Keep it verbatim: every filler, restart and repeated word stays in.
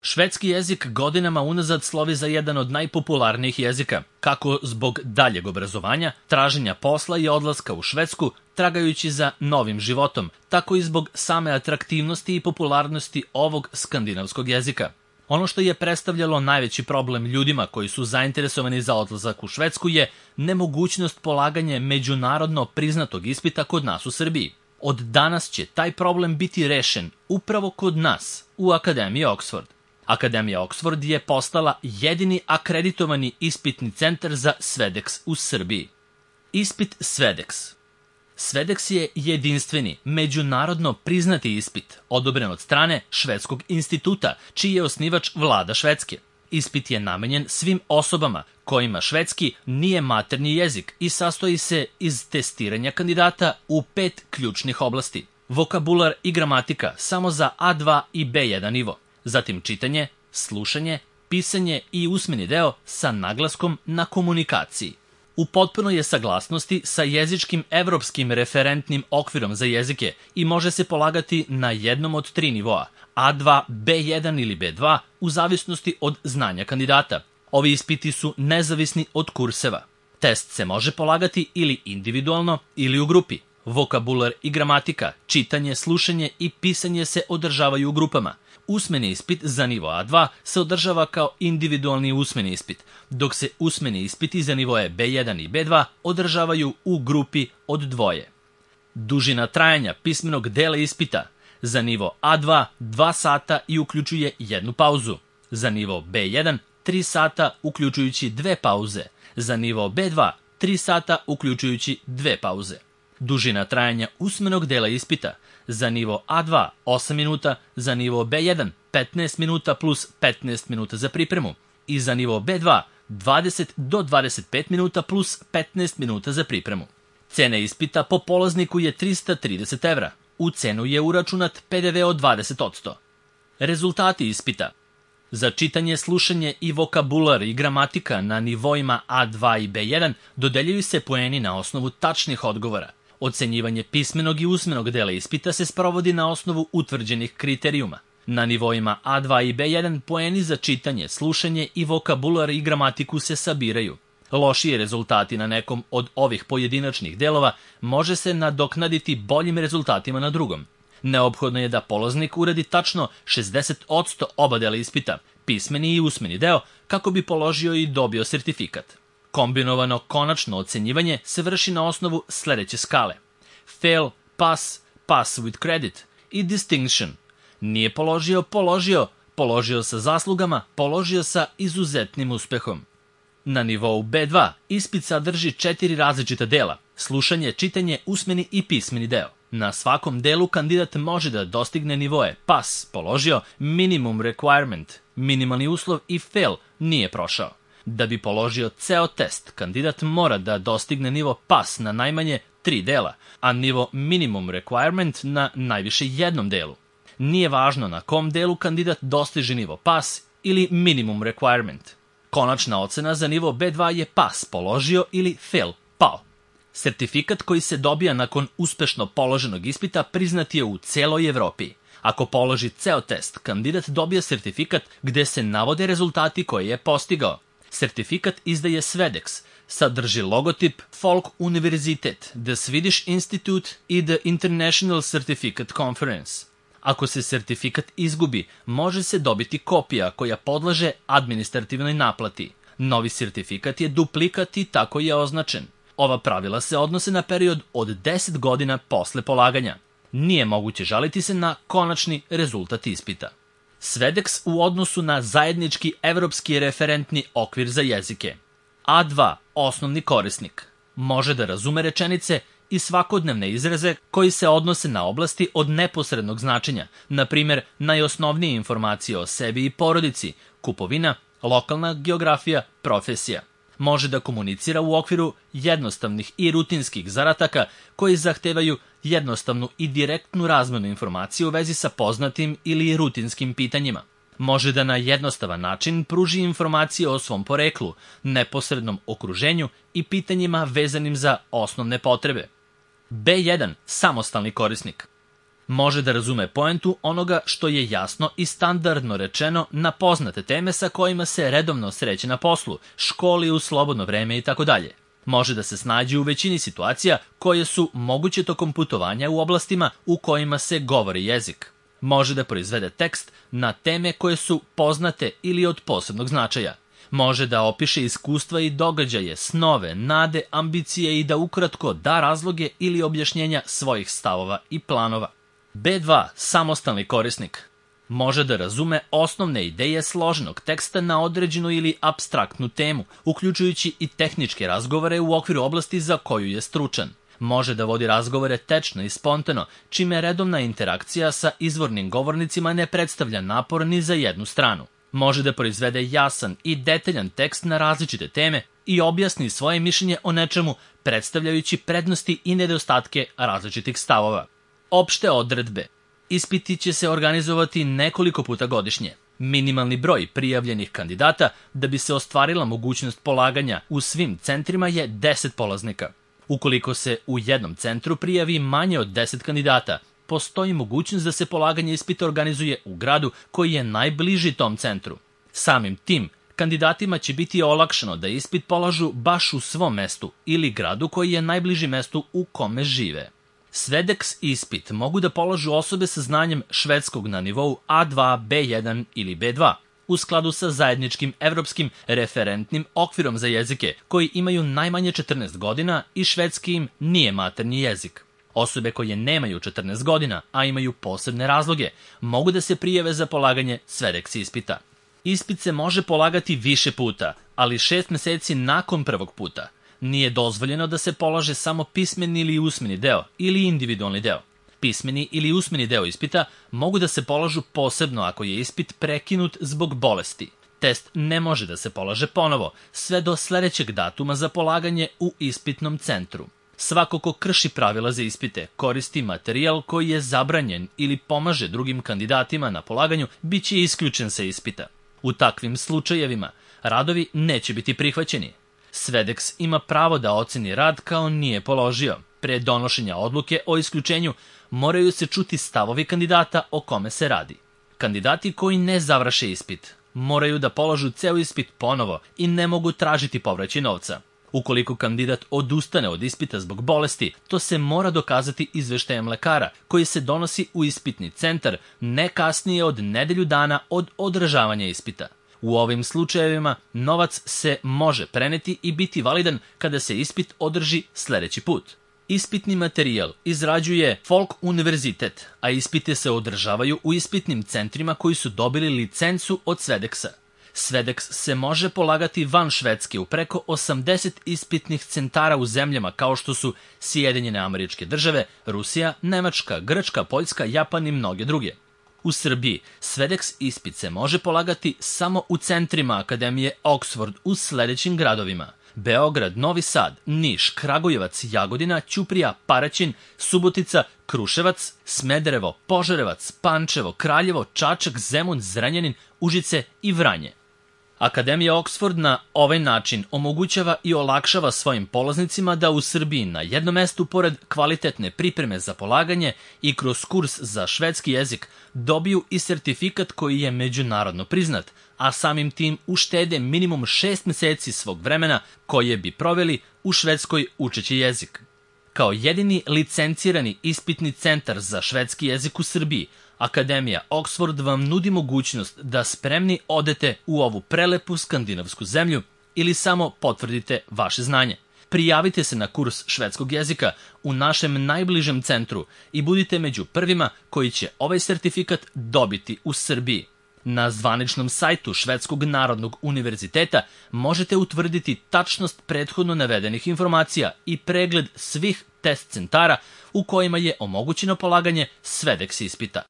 Švedski jezik godinama unazad slovi za jedan od najpopularnijih jezika, kako zbog daljeg obrazovanja, traženja posla i odlaska u Švedsku, tragajući za novim životom, tako i zbog same atraktivnosti i popularnosti ovog skandinavskog jezika. Ono što je predstavljalo najveći problem ljudima koji su zainteresovani za odlazak u Švedsku je nemogućnost polaganja međunarodno priznatog ispita kod nas u Srbiji. Od danas će taj problem biti rešen upravo kod nas, u Akademiji Oxford. Akademija Oxford je postala jedini akreditovani ispitni centar za Svedex u Srbiji. Ispit Svedex. Svedex je jedinstveni, međunarodno priznati ispit, odobren od strane Švedskog instituta, čiji je osnivač vlada Švedske. Ispit je namenjen svim osobama kojima švedski nije maternji jezik i sastoji se iz testiranja kandidata u pet ključnih oblasti. Vokabular i gramatika samo za A dva i B jedan nivo, zatim čitanje, slušanje, pisanje i usmeni deo sa naglaskom na komunikaciji. U potpunoj je saglasnosti sa jezičkim evropskim referentnim okvirom za jezike i može se polagati na jednom od tri nivoa, A dva, B jedan ili B dva, u zavisnosti od znanja kandidata. Ovi ispiti su nezavisni od kurseva. Test se može polagati ili individualno ili u grupi. Vokabular i gramatika, čitanje, slušanje i pisanje se održavaju u grupama. Usmeni ispit za nivo A dva se održava kao individualni usmeni ispit, dok se usmeni ispiti za nivoje B jedan i B dva održavaju u grupi od dvoje. Dužina trajanja pismenog dela ispita za nivo A dva dva sata i uključuje jednu pauzu, za nivo B jedan tri sata uključujući dve pauze, za nivo B dva tri sata uključujući dve pauze. Dužina trajanja usmenog dela ispita za nivo A dva osam minuta, za nivo B jedan petnaest minuta plus petnaest minuta za pripremu i za nivo B dva dvadeset do dvadeset pet minuta plus petnaest minuta za pripremu. Cena ispita po polazniku je trista trideset evra. U cenu je uračunat P D V od dvadeset posto. Rezultati ispita. Za čitanje, slušanje i vokabular i gramatika na nivoima A dva i B jedan dodeljuju se poeni na osnovu tačnih odgovora. Ocenjivanje pismenog i usmenog dela ispita se sprovodi na osnovu utvrđenih kriterijuma. Na nivoima A dva i B jedan poeni za čitanje, slušanje i vokabular i gramatiku se sabiraju. Lošiji rezultati na nekom od ovih pojedinačnih delova može se nadoknaditi boljim rezultatima na drugom. Neophodno je da polaznik uradi tačno šezdeset posto oba dela ispita, pismeni i usmeni deo, kako bi položio i dobio sertifikat. Kombinovano konačno ocenjivanje se vrši na osnovu sledeće skale: fail, pass, pass with credit i distinction. Nije položio, položio, položio sa zaslugama, položio sa izuzetnim uspehom. Na nivou B dva ispit sadrži četiri različita dela: slušanje, čitanje, usmeni i pismeni deo. Na svakom delu kandidat može da dostigne nivoe pass, položio, minimum requirement, minimalni uslov i fail, nije prošao. Da bi položio ceo test, kandidat mora da dostigne nivo pass na najmanje tri dela, a nivo minimum requirement na najviše jednom delu. Nije važno na kom delu kandidat dostiže nivo pass ili minimum requirement. Konačna ocena za nivo B dva je pass, položio ili fail, pao. Sertifikat koji se dobija nakon uspešno položenog ispita priznat je u celoj Evropi. Ako položi ceo test, kandidat dobija sertifikat gde se navode rezultati koje je postigao. Sertifikat izdaje Svedex, sadrži logotip Folk Universitet, The Swedish Institute i The International Certificate Conference. Ako se sertifikat izgubi, može se dobiti kopija koja podleže administrativnoj naplati. Novi sertifikat je duplikat i tako je označen. Ova pravila se odnose na period od deset godina posle polaganja. Nije moguće žaliti se na konačni rezultat ispita. Svedex u odnosu na zajednički evropski referentni okvir za jezike. A dva, osnovni korisnik, može da razume rečenice i svakodnevne izraze koji se odnose na oblasti od neposrednog značenja, na primjer najosnovnije informacije o sebi i porodici, kupovina, lokalna geografija, profesija. Može da komunicira u okviru jednostavnih i rutinskih zadataka koji zahtevaju jednostavnu i direktnu razmenu informacije u vezi sa poznatim ili rutinskim pitanjima. Može da na jednostavan način pruži informacije o svom poreklu, neposrednom okruženju i pitanjima vezanim za osnovne potrebe. B jedan. Samostalni korisnik. Može da razume poentu onoga što je jasno i standardno rečeno na poznate teme sa kojima se redovno sreće na poslu, školi, u slobodno vreme itd. Može da se snađe u većini situacija koje su moguće tokom putovanja u oblastima u kojima se govori jezik. Može da proizvede tekst na teme koje su poznate ili od posebnog značaja. Može da opiše iskustva i događaje, snove, nade, ambicije i da ukratko da razloge ili objašnjenja svojih stavova i planova. be dva. Samostalni korisnik. Može da razume osnovne ideje složenog teksta na određenu ili apstraktnu temu, uključujući i tehničke razgovore u okviru oblasti za koju je stručan. Može da vodi razgovore tečno i spontano, čime redovna interakcija sa izvornim govornicima ne predstavlja napor ni za jednu stranu. Može da proizvede jasan i detaljan tekst na različite teme i objasni svoje mišljenje o nečemu, predstavljajući prednosti i nedostatke različitih stavova. Opšte odredbe. Ispiti će se organizovati nekoliko puta godišnje. Minimalni broj prijavljenih kandidata da bi se ostvarila mogućnost polaganja u svim centrima je deset polaznika. Ukoliko se u jednom centru prijavi manje od deset kandidata, postoji mogućnost da se polaganje ispita organizuje u gradu koji je najbliži tom centru. Samim tim, kandidatima će biti olakšano da ispit polažu baš u svom mestu ili gradu koji je najbliži mestu u kome žive. Svedeks ispit mogu da polažu osobe sa znanjem švedskog na nivou A dva, be jedan ili be dva, u skladu sa zajedničkim evropskim referentnim okvirom za jezike, koji imaju najmanje četrnaest godina i švedski im nije maternji jezik. Osobe koje nemaju četrnaest godina, a imaju posebne razloge, mogu da se prijave za polaganje svedeks ispita. Ispit se može polagati više puta, ali šest meseci nakon prvog puta. Nije dozvoljeno da se polaže samo pismeni ili usmeni deo ili individualni deo. Pismeni ili usmeni deo ispita mogu da se polažu posebno ako je ispit prekinut zbog bolesti. Test ne može da se polaže ponovo, sve do sledećeg datuma za polaganje u ispitnom centru. Svako ko krši pravila za ispite, koristi materijal koji je zabranjen ili pomaže drugim kandidatima na polaganju, bit će isključen sa ispita. U takvim slučajevima radovi neće biti prihvaćeni. Svedeks ima pravo da oceni rad kao nije položio. Pre donošenja odluke o isključenju moraju se čuti stavovi kandidata o kome se radi. Kandidati koji ne završe ispit moraju da polažu ceo ispit ponovo i ne mogu tražiti povraćaj novca. Ukoliko kandidat odustane od ispita zbog bolesti, to se mora dokazati izveštajem lekara koji se donosi u ispitni centar ne kasnije od nedelju dana od održavanja ispita. U ovim slučajevima novac se može preneti i biti validan kada se ispit održi sledeći put. Ispitni materijal izrađuje Folk univerzitet, a ispite se održavaju u ispitnim centrima koji su dobili licencu od Svedeksa. Svedeks se može polagati van Švedske u preko osamdeset ispitnih centara u zemljama kao što su Sjedinjene Američke Države, Rusija, Nemačka, Grčka, Poljska, Japan i mnoge druge. U Srbiji Svedeks ispit se može polagati samo u centrima Akademije Oxford u sledećim gradovima: Beograd, Novi Sad, Niš, Kragujevac, Jagodina, Ćuprija, Paraćin, Subotica, Kruševac, Smederevo, Požarevac, Pančevo, Kraljevo, Čačak, Zemun, Zrenjanin, Užice i Vranje. Akademija Oxford na ovaj način omogućava i olakšava svojim polaznicima da u Srbiji na jednom mestu, pored kvalitetne pripreme za polaganje i kroz kurs za švedski jezik, dobiju i sertifikat koji je međunarodno priznat, a samim tim uštede minimum šest meseci svog vremena koje bi proveli u Švedskoj učeći jezik. Kao jedini licencirani ispitni centar za švedski jezik u Srbiji, Akademija Oxford vam nudi mogućnost da spremni odete u ovu prelepu skandinavsku zemlju ili samo potvrdite vaše znanje. Prijavite se na kurs švedskog jezika u našem najbližem centru i budite među prvima koji će ovaj sertifikat dobiti u Srbiji. Na zvaničnom sajtu Švedskog narodnog univerziteta možete utvrditi tačnost prethodno navedenih informacija i pregled svih test centara u kojima je omogućeno polaganje Svedeks ispita.